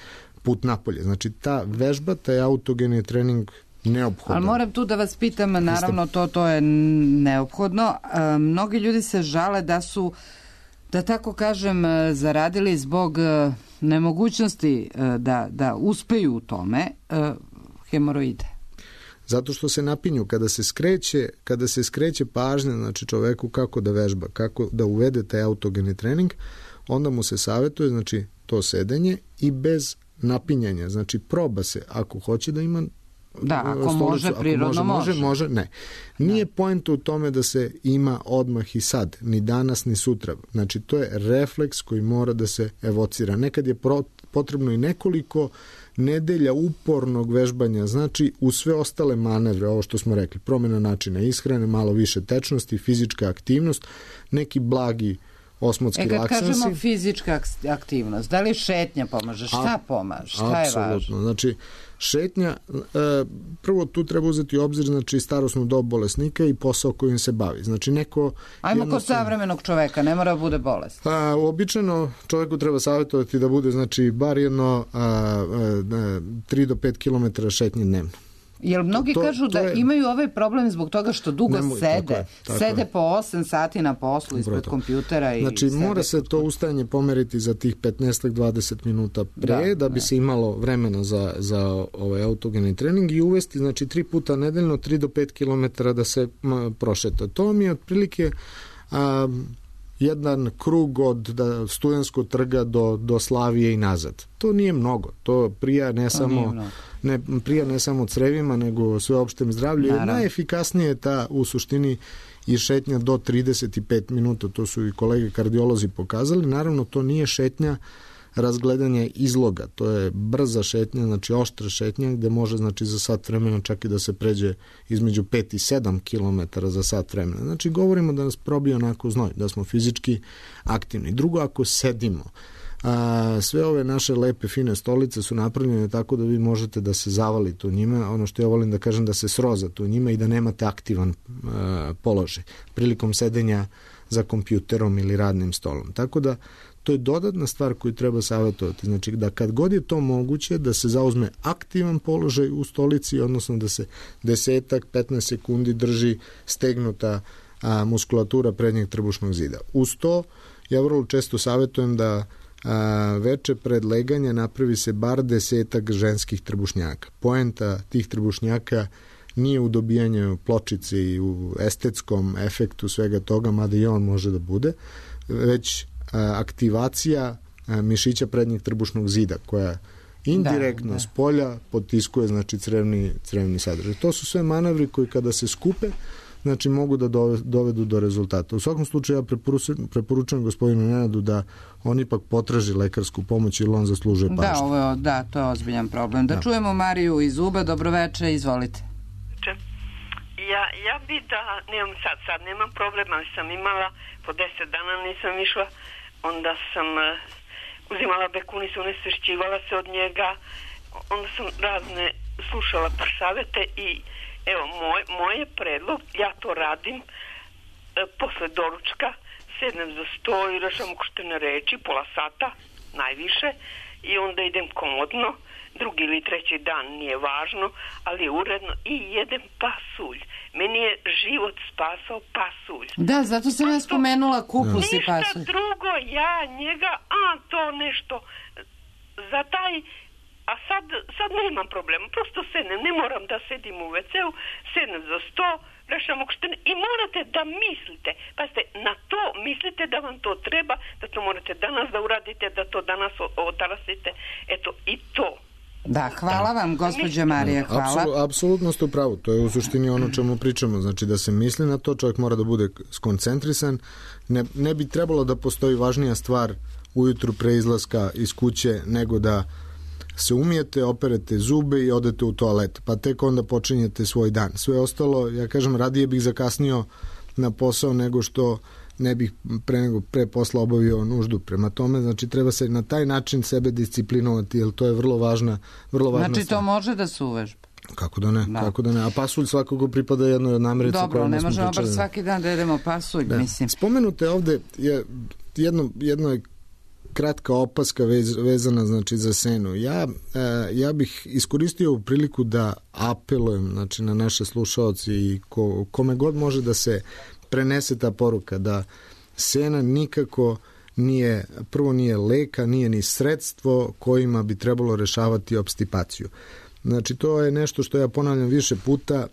Speaker 2: put napolje. Znači ta vežba, taj autogeni trening neophodno.
Speaker 3: Ali moram tu da vas pitam, naravno to je neophodno. Mnogi ljudi se žale da su, da tako kažem, zaradili zbog nemogućnosti da uspeju u tome hemoroide.
Speaker 2: Zato što se napinju. Kada se skreće pažnja znači čoveku kako da vežba, kako da uvede taj autogeni trening, onda mu se savjetuje znači to sedenje i bez napinjanja. Znači proba se, ako hoće da ima
Speaker 3: Da, ako
Speaker 2: stolicu,
Speaker 3: može, prirodno
Speaker 2: može. Ne. Nije poenta u tome da se ima odmah i sad, ni danas, ni sutra. Znači, to je refleks koji mora da se evocira. Nekad je potrebno i nekoliko nedelja upornog vežbanja, znači u sve ostale manevre, ovo što smo rekli, promjena načina ishrane, malo više tečnosti, fizička aktivnost, neki blagi osmotski laksansi.
Speaker 3: Kad kažemo fizička aktivnost, da li šetnja pomaže? Šta pomaže? Šta je važno?
Speaker 2: Znači, šetnja, prvo tu treba uzeti u obzir, znači, starosnu dob bolesnika i posao kojim se bavi. Znači, neko...
Speaker 3: Ajmo kod savremenog čoveka, ne mora da bude bolest.
Speaker 2: Uobičajeno čoveku treba savjetovati da bude, znači, bar jedno 3 do 5 km šetnje dnevno.
Speaker 3: Jer mnogi kažu da imaju ovaj problem zbog toga što dugo sede. Sede po 8 sati na poslu ispred kompjutera.
Speaker 2: Znači, mora se to ustajanje pomeriti za tih 15-20 minuta pre, da bi se imalo vremena za ovaj autogeni trening i uvesti, znači, 3 puta nedeljno, 3 do 5 km da se prošeta. To mi je otprilike jedan krug od Studenskog trga do Slavije i nazad. To nije mnogo. To prija ne samo crevima, nego sveopštem zdravlju. I najefikasnije je ta u suštini i šetnja do 35 minuta. To su i kolege kardiolozi pokazali. Naravno, to nije šetnja razgledanja izloga. To je brza šetnja, znači oštra šetnja, gde može, znači, za sat vremena čak i da se pređe između 5 i 7 km za sat vremena. Znači, govorimo da nas probije onako znoj, da smo fizički aktivni. Drugo, ako sedimo, sve ove naše lepe, fine stolice su napravljene tako da vi možete da se zavalite u njima, ono što ja volim da kažem, da se srozate u njima i da nemate aktivan položaj prilikom sedenja za kompjuterom ili radnim stolom. Tako da to je dodatna stvar koju treba savjetovati. Znači, da kad god je to moguće, da se zauzme aktivan položaj u stolici, odnosno da se 10-15 sekundi drži stegnuta muskulatura prednjeg trbušnog zida. Uz to, ja vrlo često savjetujem da veče pred leganje napravi se bar 10 ženskih trbušnjaka. Poenta tih trbušnjaka nije u dobijanju pločice i u estetskom efektu svega toga, mada i on može da bude, već aktivacija mišića prednjeg trbušnog zida, koja indirektno s polja potiskuje, znači, crevni sadržaj. To su sve manevri koji kada se skupe, znači, mogu da dovedu do rezultata. U svakom slučaju ja preporučujem gospodinu Nenadu da on ipak potraži lekarsku pomoć ili on zaslužuje pažnju.
Speaker 3: To je ozbiljan problem. Da čujemo Mariju iz Uba. Dobroveče, izvolite.
Speaker 17: Ja bi nemam sad nemam problema, ali sam imala po 10 dana nisam išla, onda sam uzimala bekunis, unesvešćivala se od njega, onda sam razne slušala savete i evo, moj je predlog, ja to radim posle doručka, sednem za sto i rešam ukrštene reči, pola sata, najviše, i onda idem komodno, drugi ili treći dan nije važno, ali je uredno, i jedem pasulj. Meni je život spasao pasulj.
Speaker 3: Da, zato sam ja spomenula kupus i pasulj.
Speaker 17: Ništa drugo, ja njega, to nešto za taj, a sad nemam problema, prosto sednem, ne moram da sedim u WC-u, sednem za sto, rešam ukrštene i morate da mislite, pazite, na to mislite da vam to treba, da to morate danas da uradite, da to danas otarasite, eto, i to.
Speaker 3: Da, hvala vam, gospođa Marija, hvala.
Speaker 2: Apsolutno ste u pravu, to je u suštini ono čemu pričamo, znači da se misli na to, čovjek mora da bude skoncentrisan, ne bi trebalo da postoji važnija stvar ujutru pre izlaska iz kuće nego da se umijete, operete zube i odete u toalet, pa tek onda počinjete svoj dan. Sve ostalo, ja kažem, radije bih zakasnio na posao nego što ne bih pre posla obavio nuždu. Prema tome, znači, treba se na taj način sebe disciplinovati, jer to je vrlo važna
Speaker 3: znači, stvar. To može da se uvežba.
Speaker 2: Kako da ne, kako da ne. A pasulj svakako pripada jednoj od namirnica.
Speaker 3: Dobro, ne možemo bar svaki dan da jedemo pasulj, mislim.
Speaker 2: Spomenute ovde je jedno kratka opaska vezana, znači, za senu. Ja bih iskoristio ovu priliku da apelujem, znači, na naše slušaoci i kome god može da se prenese ta poruka, da sena nikako nije lek, nije ni sredstvo kojima bi trebalo rešavati obstipaciju. Znači, to je nešto što ja ponavljam više puta.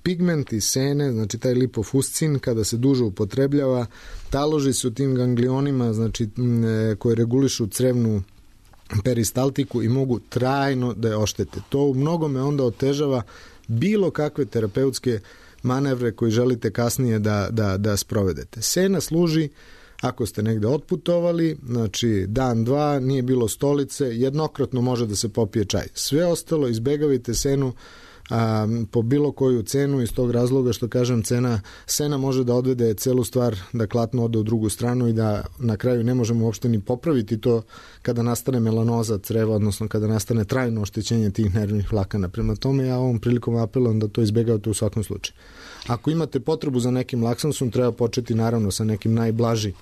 Speaker 2: Pigment iz sene, znači taj lipofuscin, kada se duže upotrebljava, taloži se u tim ganglionima, znači, koje regulišu peristaltiku i mogu trajno da je oštete. To u mnogome onda otežava bilo kakve terapeutske manevre koji želite kasnije da sprovedete. Sena služi ako ste negde otputovali, znači dan, dva, nije bilo stolice, jednokratno može da se popije čaj. Sve ostalo, izbegavajte senu po bilo koju cenu, iz tog razloga što kažem sena može da odvede celu stvar da klatno ode u drugu stranu i da na kraju ne možemo uopšte ni popraviti to kada nastane melanoza creva, odnosno kada nastane trajno oštećenje tih nervnih vlakana. Prema tome ja ovom prilikom apelujem da to izbegavate u svakom slučaju. Ako imate potrebu za nekim laksansom, treba početi naravno sa nekim najblaži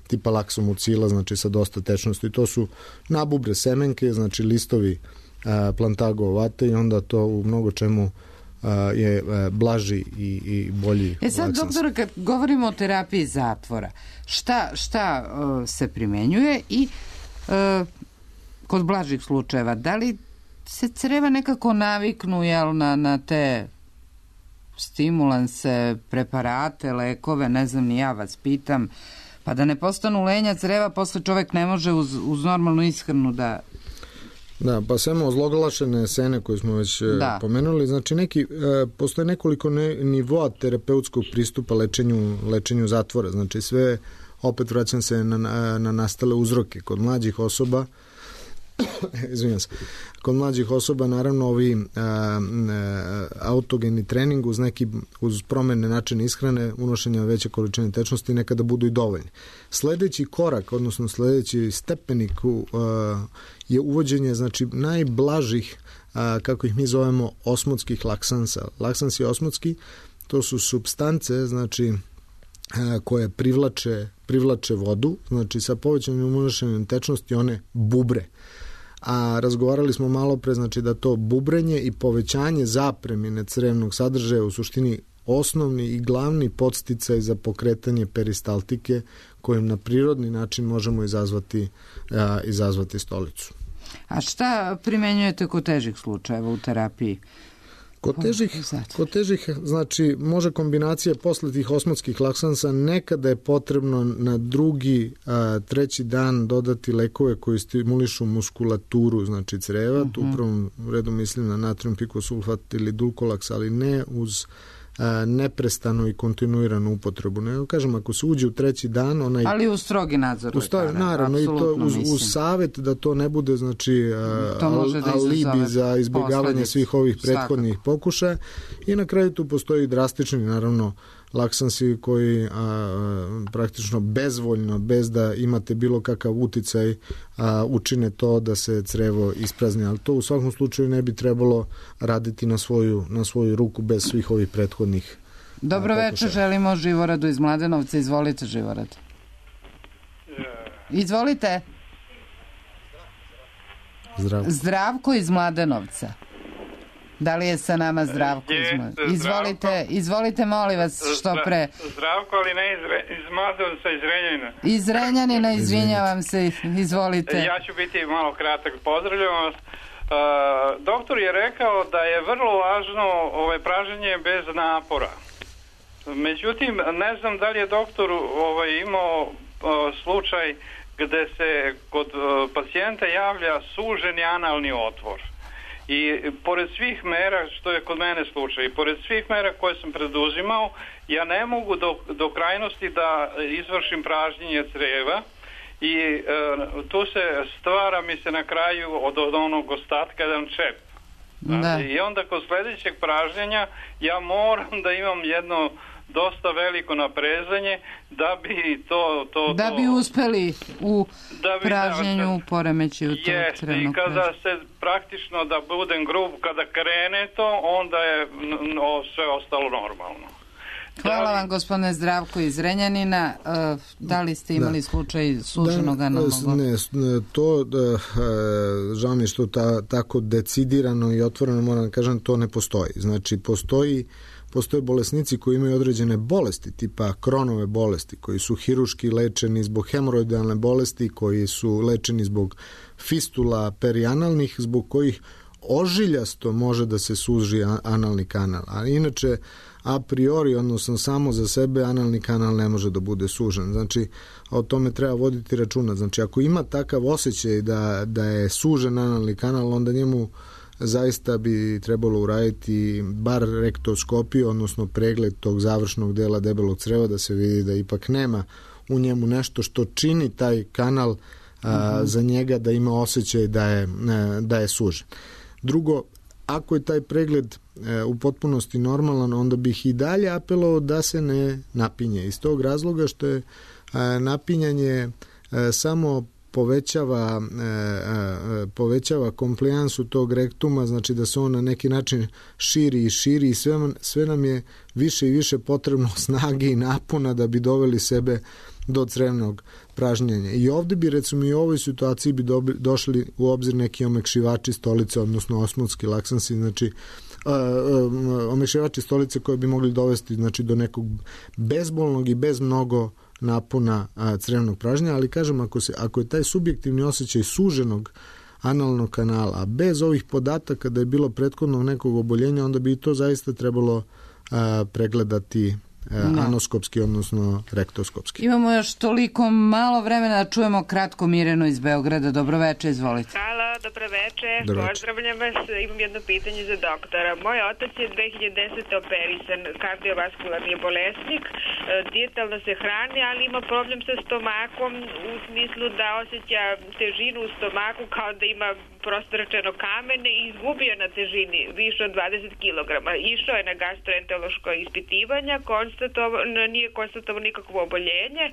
Speaker 2: tipa laksomucila, znači sa dosta tečnosti. To su nabubre semenke, znači listovi plantago ovate i onda to u mnogo čemu je blaži i bolji
Speaker 3: sad,
Speaker 2: laksans.
Speaker 3: doktore, kad govorimo o terapiji zatvora, šta se primenjuje i kod blažih slučajeva, da li se creva nekako naviknu na te stimulanse, preparate, lekove, ne znam, ni ja vas pitam, pa da ne postanu lenja creva, posle čovek ne može uz normalnu ishranu da...
Speaker 2: Da, pa samo ozloglašene sene koje smo već pomenuli, znači postoje nekoliko nivoa terapeutskog pristupa lečenju zatvora, znači sve, opet vraćam se na nastale uzroke. Kod mlađih osoba kod mlađih osoba naravno ovi autogeni trening uz promene načina ishrane, unošenja veće količine tečnosti nekada budu i dovoljni. Sledeći korak, odnosno sledeći stepenik je uvođenje znači najblažih, kako ih mi zovemo, osmotskih laksansa. Laksansi osmotski, to su supstance znači koje privlače vodu, znači sa povećanim unošenjem tečnosti one bubre. A razgovarali smo malo pre, znači da to bubrenje i povećanje zapremine crevnog sadržaja u suštini osnovni i glavni podsticaj za pokretanje peristaltike kojim na prirodni način možemo izazvati stolicu.
Speaker 3: A šta primenjujete kod težih slučajeva u terapiji?
Speaker 2: Kod težih, znači, može kombinacija posle tih osmotskih laksansa, nekada je potrebno na drugi, treći dan dodati lekove koji stimulišu muskulaturu, znači creva, tu u prvom redu mislim na natrium pikosulfat ili dulkolaks, ali ne uz neprestanu i kontinuiranu upotrebu. Ne kažem, ako se uđe u treći dan,
Speaker 3: ali u strogi nadzor lekara.
Speaker 2: Naravno, i to uz savjet da to ne bude znači alibi za izbjegavanje svih ovih prethodnih pokušaja. I na kraju tu postoji drastični, naravno, laksansi koji praktično bezvoljno, bez da imate bilo kakav uticaj, učine to da se crevo isprazni, ali to u svakom slučaju ne bi trebalo raditi na svoju ruku bez svih ovih prethodnih
Speaker 3: Dobro večer, želimo Živoradu iz Mladenovca. Izvolite, Živorad. Izvolite. Zdravko iz Mladenovca. Da li je sa nama Zdravko iz Mladenovca? Izvolite, molim vas, što pre.
Speaker 18: Zdravko, ali ne iz Mladenovca, iz Renjanina.
Speaker 3: Iz Renjanina, izvinjavam se, izvolite.
Speaker 18: Ja ću biti malo kratak, pozdravljam vas. Doktor je rekao da je vrlo važno praženje bez napora. Međutim, ne znam da li je doktor imao slučaj gde se kod pacijenta javlja suženi analni otvor. I pored svih mera, što je kod mene slučaj, i pored svih mera koje sam preduzimao, ja ne mogu do krajnosti da izvršim pražnjenje creva i tu se stvara mi se na kraju od onog ostatka jedan čep. I onda kod sledećeg pražnjenja ja moram da imam jedno dosta veliko naprezanje da bi
Speaker 3: da bi uspeli u pražnjenju poremećaju tog crevnog.
Speaker 18: I kada se praktično, da budem grub, kada krene to, onda je sve ostalo normalno.
Speaker 3: Hvala vam, gospodine Zdravko iz Renjanina. Da li ste imali slučaj suženog analnog?
Speaker 2: Ne, to žao mi što tako decidirano i otvoreno moram da kažem, to ne postoji. Znači, postoje bolesnici koji imaju određene bolesti, tipa Kronove bolesti, koji su hiruški lečeni zbog hemoroidalne bolesti, koji su lečeni zbog fistula perianalnih, zbog kojih ožiljasto može da se suži analni kanal, ali inače a priori, odnosno samo za sebe, analni kanal ne može da bude sužen. Znači, o tome treba voditi računa. Znači, ako ima takav osjećaj da je sužen analni kanal, onda njemu zaista bi trebalo uraditi bar rektoskopiju, odnosno pregled tog završnog dela debelog creva, da se vidi da ipak nema u njemu nešto što čini taj kanal za njega da ima osjećaj da je sužen. Drugo, ako je taj pregled u potpunosti normalan, onda bih i dalje apelovao da se ne napinje. Iz tog razloga što je napinjanje samo povećava komplijansu tog rektuma, znači da se on na neki način širi i širi i sve nam je više i više potrebno snage i napona da bi doveli sebe do crevnog pražnjenja. I ovde bi, recimo, i u ovoj situaciji bi došli u obzir neki omekšivači stolice, odnosno osmotski laksansi, znači omekšivači stolice koje bi mogli dovesti, znači, do nekog bezbolnog i bez mnogo napona crevnog pražnjenja, ali kažem, ako je taj subjektivni osjećaj suženog analnog kanala, a bez ovih podataka da je bilo prethodnog nekog oboljenja, onda bi i to zaista trebalo pregledati anoskopski, odnosno rektoskopski.
Speaker 3: Imamo još toliko malo vremena da čujemo kratko Mirenu iz Beograda. Dobroveče, izvolite.
Speaker 19: Halo, dobroveče, pozdravljam vas. Imam jedno pitanje za doktora. Moj otac je 2010. operisan, kardiovaskularni bolesnik, dijetalno se hrani, ali ima problem sa stomakom u smislu da osjeća težinu u stomaku kao da ima prosto rečeno kamene i izgubio na težini više od 20 kg. Išao je na gastroenterološko ispitivanja, nije konstatovano nikakvo oboljenje.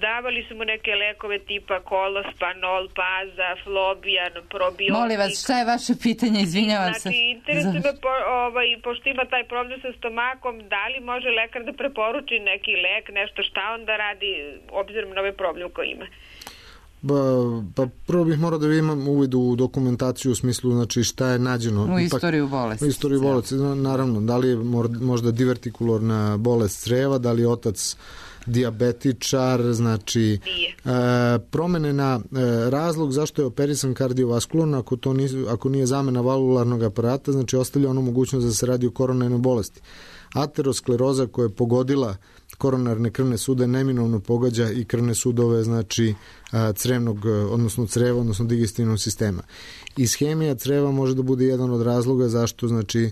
Speaker 19: Davali su mu neke lekove tipa Kolospanol, Paza, Flobian, probiotik.
Speaker 3: Molim vas, šta je vaše pitanje? Izvinjavam se.
Speaker 19: Znači, interesuje me, pošto ima taj problem sa stomakom, da li može lekar da preporuči neki lek, nešto šta on da radi, obzirom na ovaj problem koji ima?
Speaker 2: Pa prvo bih morao da imam uvid u dokumentaciju u smislu, znači, šta je nađeno
Speaker 3: u istoriju bolesti.
Speaker 2: U istoriju bolesti, naravno, da li je možda divertikularna bolest creva, da li je otac dijabetičar, znači promene na razlog zašto je operisan kardiovaskularno, ako nije zamena valvularnog aparata, znači ostavlja ono mogućnost da se radi o koronarnoj bolesti. Ateroskleroza koja je pogodila koronarne krvne sude neminovno pogađa i krvne sudove, znači crevnog, odnosno creva, odnosno digestivnog sistema. Ishemija creva može da bude jedan od razloga zašto, znači,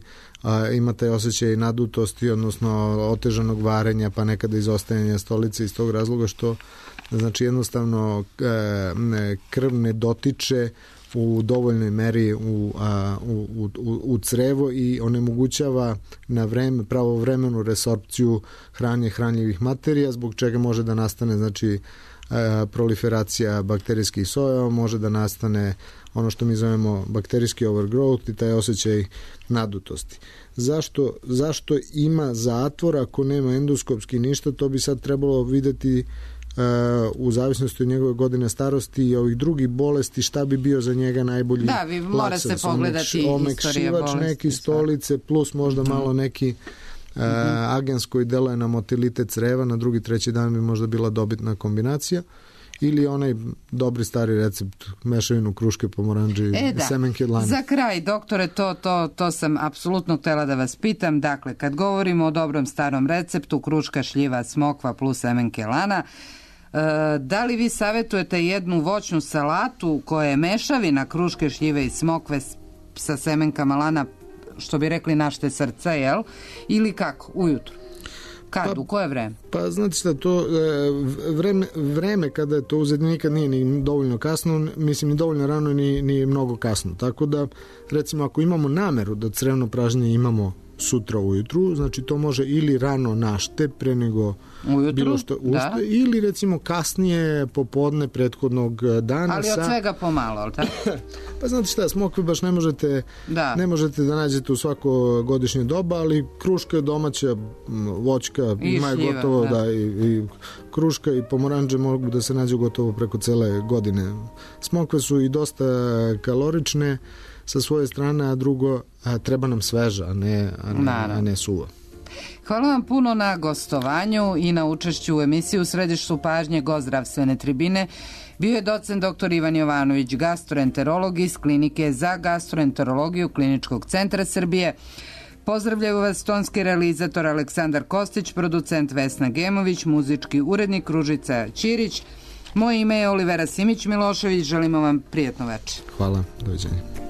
Speaker 2: ima taj osjećaj nadutosti, odnosno otežanog varenja, pa nekada izostajanja stolice, iz tog razloga što, znači, jednostavno krv ne dotiče u dovoljnoj meri u crevo i onemogućava na vreme, pravovremenu resorpciju hrane hranljivih materija, zbog čega može da nastane, znači, proliferacija bakterijskih sojeva, može da nastane ono što mi zovemo bakterijski overgrowth i taj osjećaj nadutosti. Zašto ima zatvor ako nema endoskopski ništa, to bi sad trebalo videti u zavisnosti od njegove godine starosti i ovih drugih bolesti, šta bi bio za njega najbolji
Speaker 3: laksans. Da, vi mora se pogledati istorija bolesti.
Speaker 2: Neki stolice plus možda malo neki agens koji deluje na motilitet creva, na drugi, treći dan bi možda bila dobitna kombinacija, ili onaj dobri stari recept mešavinu kruške, pomoranđe i semenke od lana.
Speaker 3: Za kraj, doktore, to sam apsolutno htjela da vas pitam. Dakle, kad govorimo o dobrom starom receptu, kruška, šljiva, smokva plus semenke lana, da li vi savjetujete jednu voćnu salatu koja je mešavina kruške, šljive i smokve sa semenkama lana, što bi rekli našte srca, jel? Ili kako? Ujutru? Kad? U koje vreme?
Speaker 2: Pa znate šta, to vreme kada je to uzeti nikad nije ni dovoljno kasno, mislim ni dovoljno rano ni mnogo kasno. Tako da, recimo, ako imamo nameru da crevno pražnjenje imamo sutra ujutru, znači to može ili rano našte pre nego
Speaker 3: ujutru,
Speaker 2: bilo što ušte, ili recimo kasnije popodne prethodnog dana.
Speaker 3: Ali od svega pomalo, ali tako?
Speaker 2: Pa znate šta, smokve baš ne možete da nađete u svako godišnje doba, ali kruška je domaća voćka, ima je gotovo i kruška i pomoranđe mogu da se nađu gotovo preko cele godine. Smokve su i dosta kalorične sa svoje strane, a drugo, treba nam sveža, a ne suva.
Speaker 3: Hvala vam puno na gostovanju i na učešću u emisiji U središtu pažnje gost zdravstvene tribine bio je docent dr. Ivan Jovanović, gastroenterolog iz Klinike za gastroenterologiju Kliničkog centra Srbije. Pozdravljaju vas tonski realizator Aleksandar Kostić, producent Vesna Gemović, muzički urednik Ružica Ćirić. Moje ime je Olivera Simić Milošević, želimo vam prijatno večer.
Speaker 2: Hvala, doviđenja.